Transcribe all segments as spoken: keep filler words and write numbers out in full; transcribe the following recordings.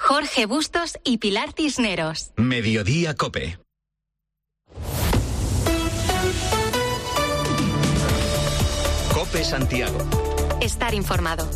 Jorge Bustos y Pilar Cisneros. Mediodía COPE. COPE Santiago. Estar informado.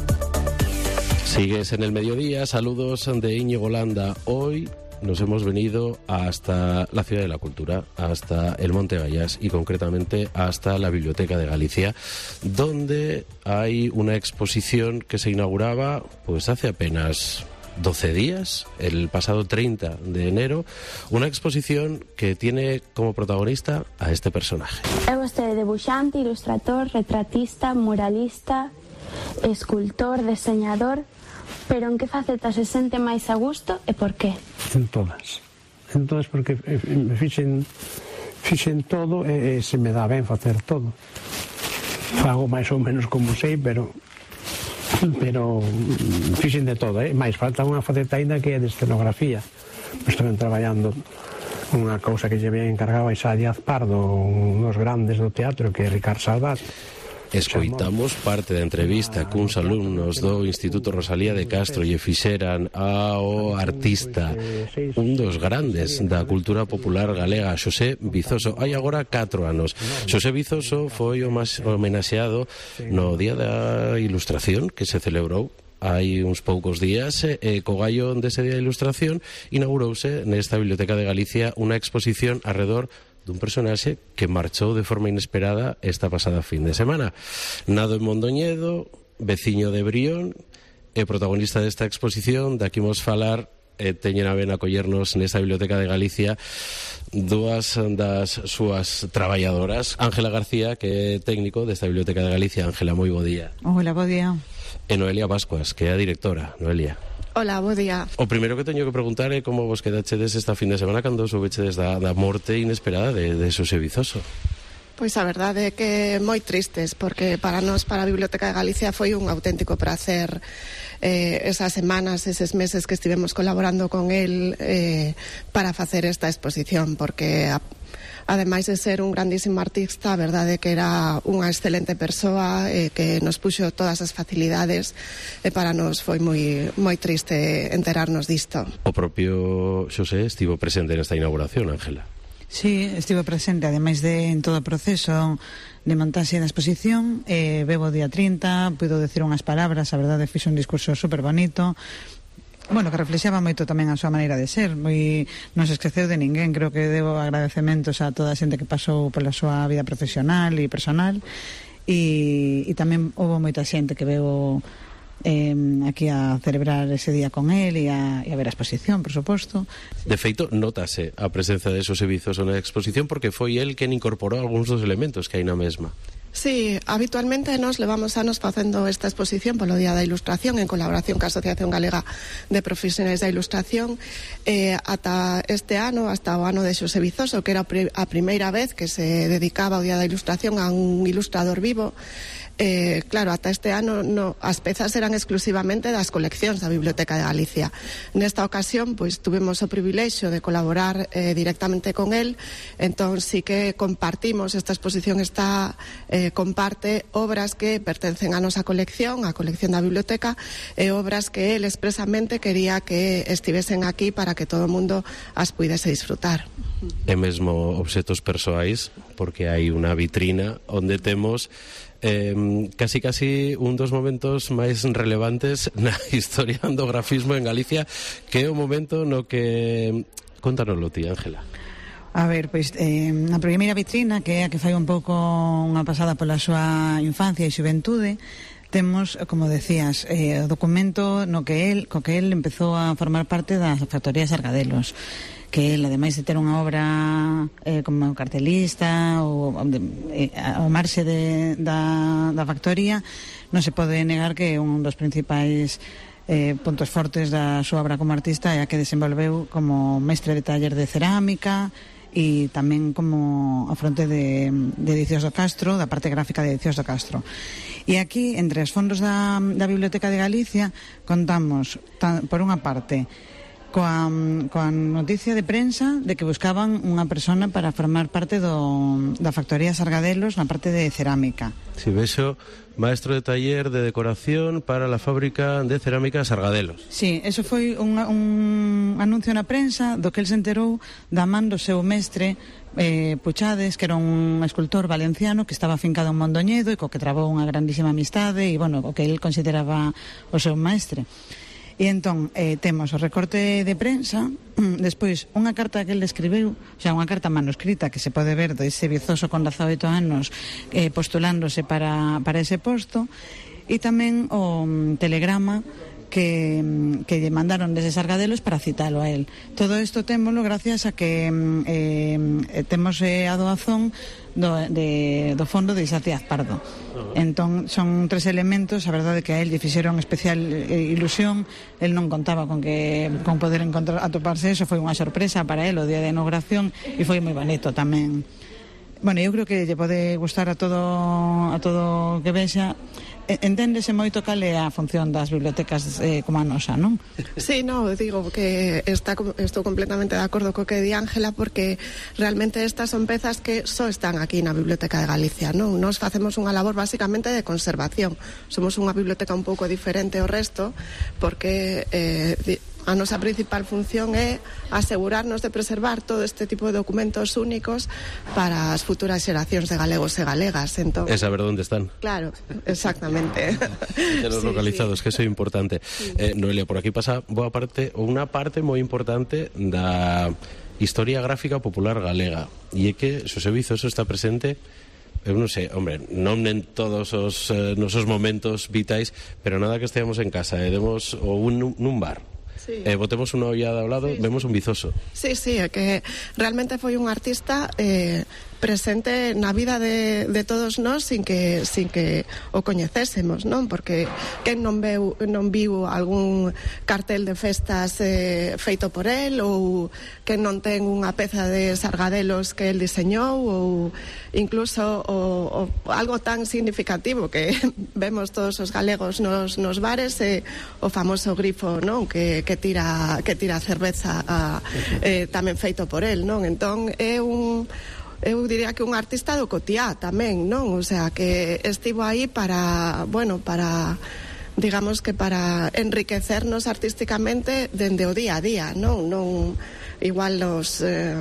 Sigues en el mediodía, saludos de Íñigo Landa. Hoy nos hemos venido hasta la Ciudad de la Cultura, hasta el Monte Gallás y concretamente hasta la Biblioteca de Galicia, donde hay una exposición que se inauguraba pues hace apenas doce días, el pasado treinta de enero, una exposición que tiene como protagonista a este personaje. É vostede debuxante, ilustrador, retratista, muralista, escultor, deseñador, pero en que faceta se sente máis a gusto e por qué? En todas. En todas porque me fixen, fixen todo e, e se me dá ben facer todo. Fago máis ou menos como sei, pero pero fixen de todo, eh? Mais falta unha faceta ainda que é de escenografía. Estou traballando unha cousa que lle había encargado a Isa Díaz Pardo, unos grandes do teatro, que é Ricard Salvat. Escoitamos parte da entrevista cuns alumnos do Instituto Rosalía de Castro e fixeran ao artista, un dos grandes da cultura popular galega, Xosé Vizoso. Hai agora catro anos. Xosé Vizoso foi o máis homenaxeado no Día da Ilustración que se celebrou hai uns poucos días, e co gallo dese Día da Ilustración inaugurouse nesta Biblioteca de Galicia unha exposición arredor dun personaxe que marchou de forma inesperada esta pasada fin de semana. Nado en Mondoñedo, veciño de Brión, e protagonista desta exposición, de aquí imos falar, e teñen a ben acollernos nesta Biblioteca de Galicia dúas das súas traballadoras, Ángela García, que é técnico desta Biblioteca de Galicia. Ángela, moi bo día. Hola, bo día. E Noelia Bascuas, que é a directora. Noelia. Hola, bo día. O primeiro que teño que preguntar é como vos quedachedes esta fin de semana cando soubechedes da, da morte inesperada de, de Xosé Vizoso. Pois a verdade é que moi tristes, porque para nós, para a Biblioteca de Galicia, foi un auténtico prazer eh, esas semanas, eses meses que estivemos colaborando con el eh, para facer esta exposición, porque a, ademais de ser un grandísimo artista, a verdade é que era unha excelente persoa, eh, que nos puxo todas as facilidades, e para nós foi moi moi triste enterarnos disto. O propio Xosé estivo presente nesta inauguración, Ángela. Sí, estivo presente, ademais de en todo o proceso de montaxe da exposición. eh, Bebo día trinta, puido decir unhas palabras, a verdade fixo un discurso super bonito, bueno, que reflexaba moito tamén a súa maneira de ser, moi non se esqueceu de ninguén. Creo que debo agradecementos a toda a xente que pasou pola súa vida profesional e personal, e, e tamén houve moita xente que veo eh, aquí a celebrar ese día con él e a, e a ver a exposición, por suposto. De feito, notase a presenza de Xosé Vizoso na exposición porque foi el quen incorporou algúns dos elementos que hai na mesma. Sí, habitualmente nos levamos anos facendo esta exposición polo Día da Ilustración en colaboración ca Asociación Galega de Profesionais da Ilustración, eh, ata este ano, hasta o ano de Xosé Vizoso, que era a primeira vez que se dedicaba o Día da Ilustración a un ilustrador vivo. Eh, claro, ata este ano no, as pezas eran exclusivamente das coleccións da Biblioteca de Galicia. Nesta ocasión, pois, tuvemos o privilexio de colaborar eh, directamente con el, entón sí que compartimos, esta exposición está eh, comparte obras que pertencen á nosa colección, á colección da biblioteca, e obras que el expresamente quería que estivesen aquí para que todo o mundo as puidese disfrutar. E mesmo obxetos persoais, porque hai unha vitrina onde temos Eh, casi casi un dos momentos máis relevantes na historia do grafismo en Galicia, que é o momento no que... Contanoslo ti, Ángela. A ver, pois, eh, a primeira vitrina, que é a que fai un pouco unha pasada pola súa infancia e xuventude, temos, como decías, eh, o documento no que el, co que el empezou a formar parte da factoría Sargadelos, que el, ademais de ter unha obra eh, como cartelista ou eh, ao marxe de, da, da factoría, non se pode negar que un dos principais eh, puntos fortes da súa obra como artista é a que desenvolveu como mestre de taller de cerámica e tamén como a fronte de, de Edicións do Castro, da parte gráfica de Edicións do Castro. E aquí, entre os fondos da, da Biblioteca de Galicia, contamos, tan, por unha parte, coa, coa noticia de prensa de que buscaban unha persona para formar parte do, da factoría Sargadelos na parte de cerámica. Si vexo, maestro de taller de decoración para la fábrica de cerámica Sargadelos. Sí, eso foi un, un anuncio na prensa do que el se enterou da man do seu mestre eh, Puchades, que era un escultor valenciano que estaba afincado en Mondoñedo e co que trabou unha grandísima amistade e, bueno, o que el consideraba o seu mestre. E entón, eh, temos o recorte de prensa, despois unha carta que ele escribeu, o sea, unha carta manuscrita que se pode ver dese vizoso con dezaoito anos eh, postulándose para, para ese posto, e tamén o um, telegrama que, que lle mandaron desde Sargadelos para citalo a él. Todo isto témolo gracias a que eh, temos eh, a doazón do, de, do fondo de Isaac Díaz Pardo. Entón, son tres elementos, a verdade que a él lle fixeron especial eh, ilusión. El non contaba con que con poder encontrar atoparse eso, foi unha sorpresa para él o día de inauguración e foi moi bonito tamén. Bueno, eu creo que lle pode gustar a todo a todo que vexa. Enténdese moito cal é a función das bibliotecas eh, como a nosa, non? Sí, no, digo que está, estou completamente de acordo co que di Ángela, porque realmente estas son pezas que só están aquí na Biblioteca de Galicia, non? Nos facemos unha labor basicamente de conservación. Somos unha biblioteca un pouco diferente ao resto, porque eh, a nosa principal función é asegurarnos de preservar todo este tipo de documentos únicos para as futuras xeracións de galegos e galegas. Entón, e saber onde están. Claro, exactamente. Telos sí, localizados, sí. Que eso é importante. Sí. Eh, Noelia, por aquí pasa boa parte, ou unha parte moi importante da historia gráfica popular galega. E é que Xosé Vizoso está presente, eu non sei, hombre, non en todos os eh, nosos momentos vitais, pero nada que esteamos en casa e demos ou un, nun bar. Sí. Eh, botemos unha ollada ao lado, sí, vemos un Vizoso. Sí, sí, é que realmente foi un artista eh, presente na vida de, de todos nós sin que sin que o coñecésemos, non? Porque quen non veu non viu algún cartel de festas eh, feito por el, ou quen non ten unha peza de Sargadelos que el diseñou, ou incluso o, o, algo tan significativo que vemos todos os galegos nos, nos bares, eh, o famoso grifo, non? Que, que tira que tira cerveza a, eh, tamén feito por el, non? Entón é un eu diría que un artista do cotiá tamén, non? O sea, que estivo aí para, bueno, para, digamos que para enriquecernos artísticamente dende o día a día, non? Non igual los eh,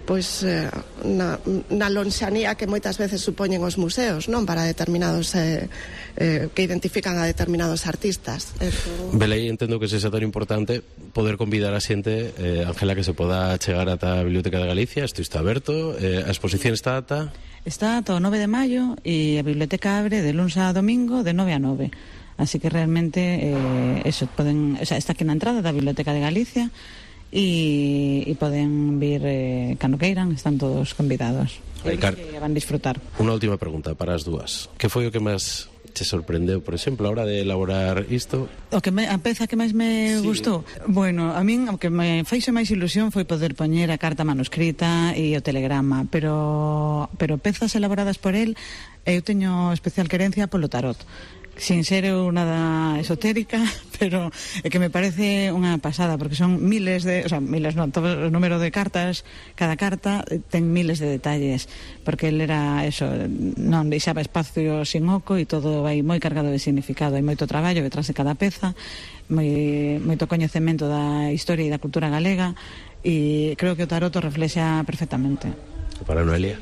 pois eh, na, na lonxanía que moitas veces supoñen os museos, non? Para determinados eh, eh, que identifican a determinados artistas. Eso... Belei, entendo que sexa tan importante poder convidar a xente, eh, Ángela, que se poda chegar ata a Biblioteca de Galicia. Isto está aberto, eh, a exposición está ata... Está ata o nove de maio e a biblioteca abre de luns a domingo de nove a nove. Así que realmente eh, eso, poden, o sea, está aquí na entrada da Biblioteca de Galicia e, e poden vir eh, cando queiran, están todos convidados. Aí, Car... que van disfrutar. Unha última pregunta para as dúas. Que foi o que máis te sorprendeu, por exemplo, a hora de elaborar isto? O que me, a peza que máis me sí. gustou? Bueno, a min o que me faixe máis ilusión foi poder poñer a carta manuscrita e o telegrama, pero pero pezas elaboradas por el, eu teño especial querencia polo tarot. Sin ser eu nada esotérica, pero é que me parece unha pasada, porque son miles de, o sea, miles non, todo o número de cartas, cada carta ten miles de detalles, porque el era eso, non deixaba espacio sin oco e todo vai moi cargado de significado, hai moito traballo detrás de cada peza, moi, moito coñecemento da historia e da cultura galega, e creo que o tarot o reflexa perfectamente. Para Noelia?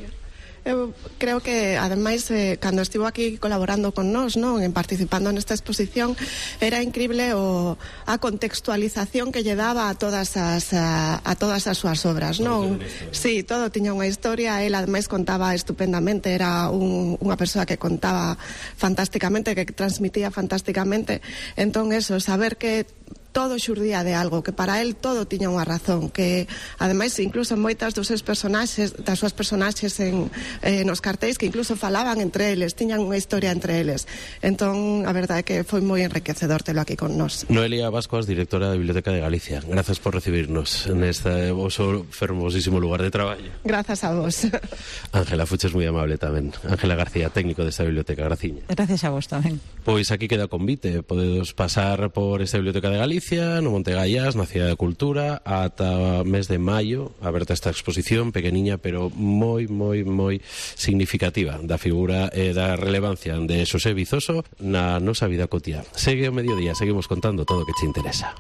Eu creo que, ademais, eh, cando estivo aquí colaborando con nós, non, en participando nesta exposición, era increíble o, a contextualización que lle daba a todas as a, a todas as súas obras, non? Sí, todo tiña unha historia, el ademais contaba estupendamente, era un, unha persoa que contaba fantásticamente, que transmitía fantásticamente. Entón, eso, saber que todo xurdía de algo, que para él todo tiña unha razón, que ademais incluso moitas dos seus personaxes, das súas personaxes en, eh, nos cartéis, que incluso falaban entre eles, tiñan unha historia entre eles. Entón, a verdade é que foi moi enriquecedor telo aquí con nós. Noelia Bascuas, directora da Biblioteca de Galicia, grazas por recibirnos neste voso fermosísimo lugar de traballo. Grazas a vos. Ángela, fuches moi amable tamén. Ángela García, técnico desta biblioteca, graciña. Gracias a vos tamén. Pois aquí queda o convite, podedos pasar por esta Biblioteca de Galicia Galicia, no Monte Gaiás, na Cidade da Cultura, ata mes de maio, aberta esta exposición pequeniña, pero moi, moi, moi significativa da figura e da relevancia de Xosé Vizoso na nosa vida cotiá. Segue o mediodía, seguimos contando todo o que te interesa.